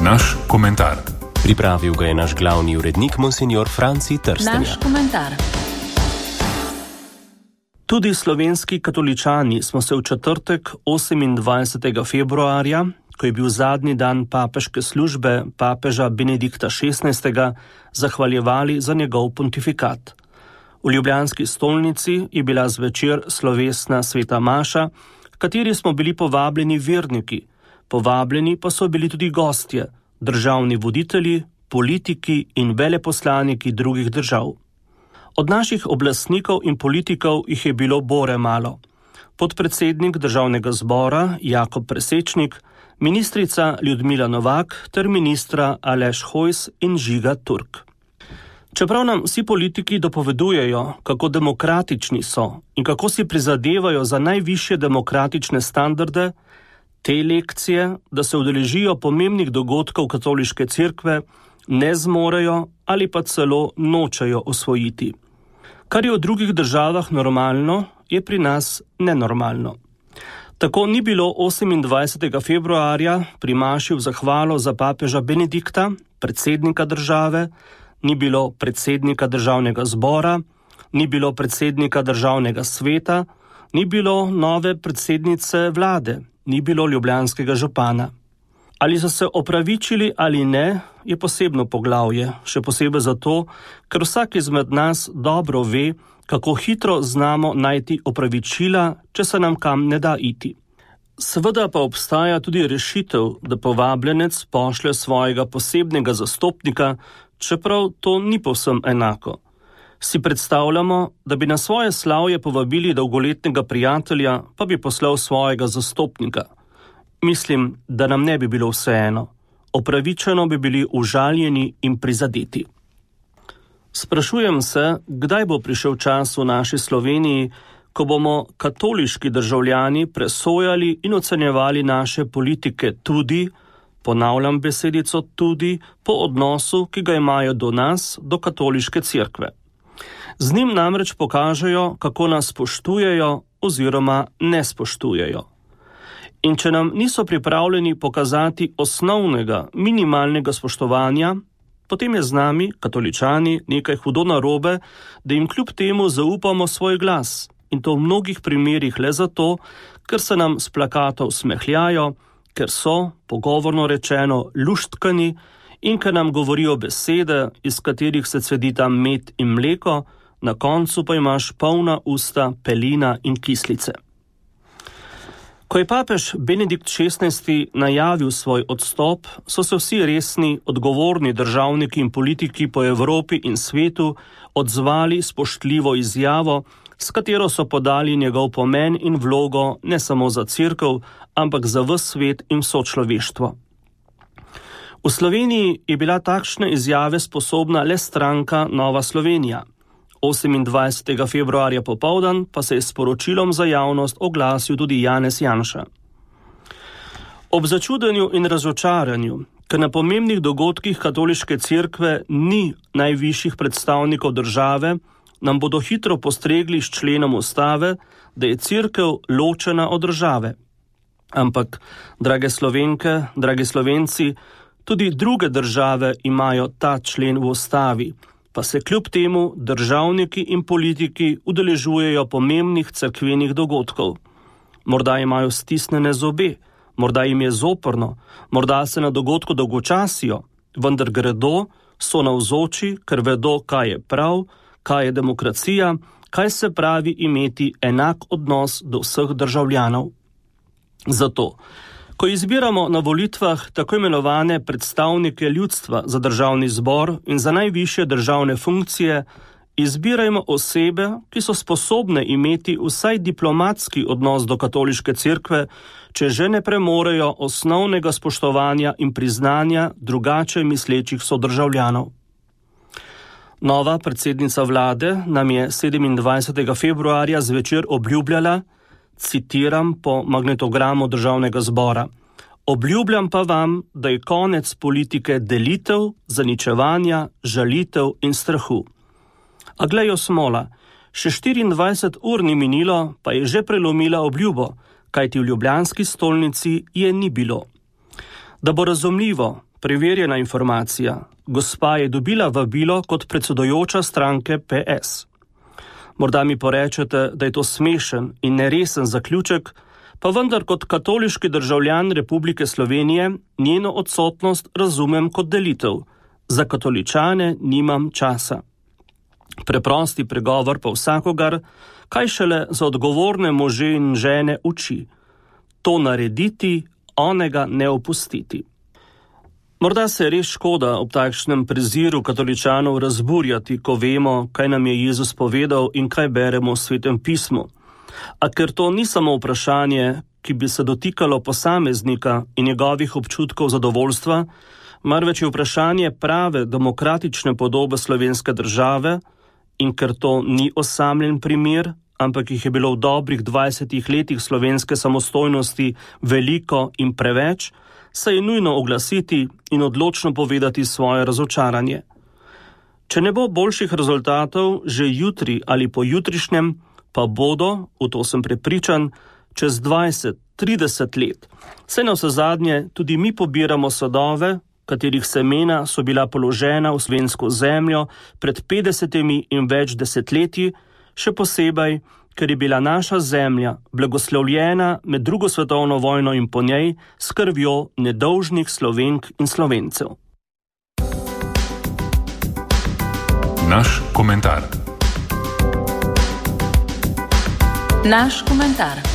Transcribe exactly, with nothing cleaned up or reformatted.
Naš komentar. Pripravil ga je naš glavni urednik monsignor Franci Trstenjak. Naš komentar. Tudi slovenski katoličani smo se v četrtek osemindvajsetega februarja, ko je bil zadnji dan papeške službe papeža Benedikta šestnajstega, zahvaljevali za njegov pontifikat. V ljubljanski stolnici je bila zvečer slovesna sveta maša, kateri smo bili povabljeni verniki, povabljeni pa so bili tudi gostje, državni voditelji, politiki in veleposlaniki drugih držav. Od naših oblastnikov in politikov jih je bilo bore malo. Podpredsednik državnega zbora Jakob Presečnik, ministrica Ljudmila Novak ter ministra Aleš Hojs in Žiga Turk. Čeprav nam vsi politiki dopovedujejo, kako demokratični so in kako si prizadevajo za najvišje demokratične standarde, te lekcije, da se udeležijo pomembnih dogodkov katoliške cerkve, ne zmorejo ali pa celo nočejo osvojiti. Kar je v drugih državah normalno, je pri nas nenormalno. Tako ni bilo osemindvajsetega februarja pri maši v zahvalo za papeža Benedikta, predsednika države, ni bilo predsednika državnega zbora, ni bilo predsednika državnega sveta, ni bilo nove predsednice vlade, ni bilo ljubljanskega župana. Ali so se opravičili ali ne, je posebno poglavje, še posebej zato, ker vsak izmed nas dobro ve, kako hitro znamo najti opravičila, če se nam kam ne da iti. Seveda pa obstaja tudi rešitev, da povabljenec pošlje svojega posebnega zastopnika, čeprav to ni povsem enako. Si predstavljamo, da bi na svoje slavje povabili dolgoletnega prijatelja, pa bi poslal svojega zastopnika. Mislim, da nam ne bi bilo vseeno. Opravičeno bi bili užaljeni in prizadeti. Sprašujem se, kdaj bo prišel čas v naši Sloveniji, ko bomo katoliški državljani presojali in ocenjevali naše politike tudi, ponavljam besedico tudi, po odnosu, ki ga imajo do nas, do katoliške cerkve. Z njim namreč pokažejo, kako nas spoštujejo oziroma ne spoštujejo. In če nam niso pripravljeni pokazati osnovnega, minimalnega spoštovanja, potem je z nami, katoličani, nekaj hudo narobe, da jim kljub temu zaupamo svoj glas. In to v mnogih primerih le zato, ker se nam s plakatov smehljajo, ker so, pogovorno rečeno, luštkani in ker nam govorijo besede, iz katerih se cvedita med in mleko, na koncu pa imaš polna usta pelina in kislice. Ko je papež Benedikt šestnajsti najavil svoj odstop, so se vsi resni, odgovorni državniki in politiki po Evropi in svetu odzvali spoštljivo izjavo, s katero so podali njegov pomen in vlogo ne samo za cerkev, ampak za ves svet in vso človeštvo. V Sloveniji je bila takšne izjave sposobna le stranka Nova Slovenija. osemindvajsetega februarja popoldan pa se je s poročilom za javnost oglasil tudi Janez Janša. Ob začudenju in razočaranju, ker na pomembnih dogodkih katoliške cerkve ni najvišjih predstavnikov države, nam bodo hitro postregli s členom ustave, da je cerkev ločena od države. Ampak, drage Slovenke, dragi Slovenci, tudi druge države imajo ta člen v ustavi, pa se kljub temu državniki in politiki udeležujejo pomembnih cerkvenih dogodkov. Morda imajo stisnjene zobe, morda jim je zoprno, morda se na dogodku dolgočasijo, vendar gredo, so navzoči, ker vedo, kaj je prav, kaj je demokracija, kaj se pravi imeti enak odnos do vseh državljanov. Zato, ko izbiramo na volitvah tako imenovane predstavnike ljudstva za državni zbor in za najvišje državne funkcije, izbirajmo osebe, ki so sposobne imeti vsaj diplomatski odnos do katoliške cerkve, če že ne premorejo osnovnega spoštovanja in priznanja drugače mislečih sodržavljanov. Nova predsednica vlade nam je sedemindvajsetega februarja zvečer obljubljala, citiram po magnetogramu državnega zbora: "Obljubljam pa vam, da je konec politike delitev, zaničevanja, žalitev in strahu." A glejo smola, še štiriindvajset ur ni minilo, pa je že prelomila obljubo, kajti v ljubljanski stolnici je ni bilo. Da bo razumljivo, preverjena informacija. Gospa je dobila vabilo kot predsedujoča stranke P S. Morda mi porečete, da je to smešen in neresen zaključek, pa vendar kot katoliški državljan Republike Slovenije njeno odsotnost razumem kot delitev. Za katoličane nimam časa. Preprosti pregovor pa vsakogar, kaj šele za odgovorne može in žene uči. To narediti, onega ne opustiti. Morda se je res škoda ob takšnem preziru katoličanov razburjati, ko vemo, kaj nam je Jezus povedal in kaj beremo v Svetem pismu. A ker to ni samo vprašanje, ki bi se dotikalo posameznika in njegovih občutkov zadovoljstva, marveč je vprašanje prave demokratične podobe slovenske države, in ker to ni osamljen primer, ampak jih je bilo v dobrih dvajsetih letih slovenske samostojnosti veliko in preveč, se je nujno oglasiti in odločno povedati svoje razočaranje. Če ne bo boljših rezultatov že jutri ali pojutrišnjem, pa bodo, v to sem prepričan, čez dvajset, trideset let. Saj navsezadnje tudi mi pobiramo sadove, katerih semena so bila položena v slovensko zemljo pred petdesetimi in več desetletji, še posebej, ker je bila naša zemlja blagoslovljena med drugo svetovno vojno in po njej s krvjo nedolžnih Slovenk in Slovencev. Naš komentar. Naš komentar.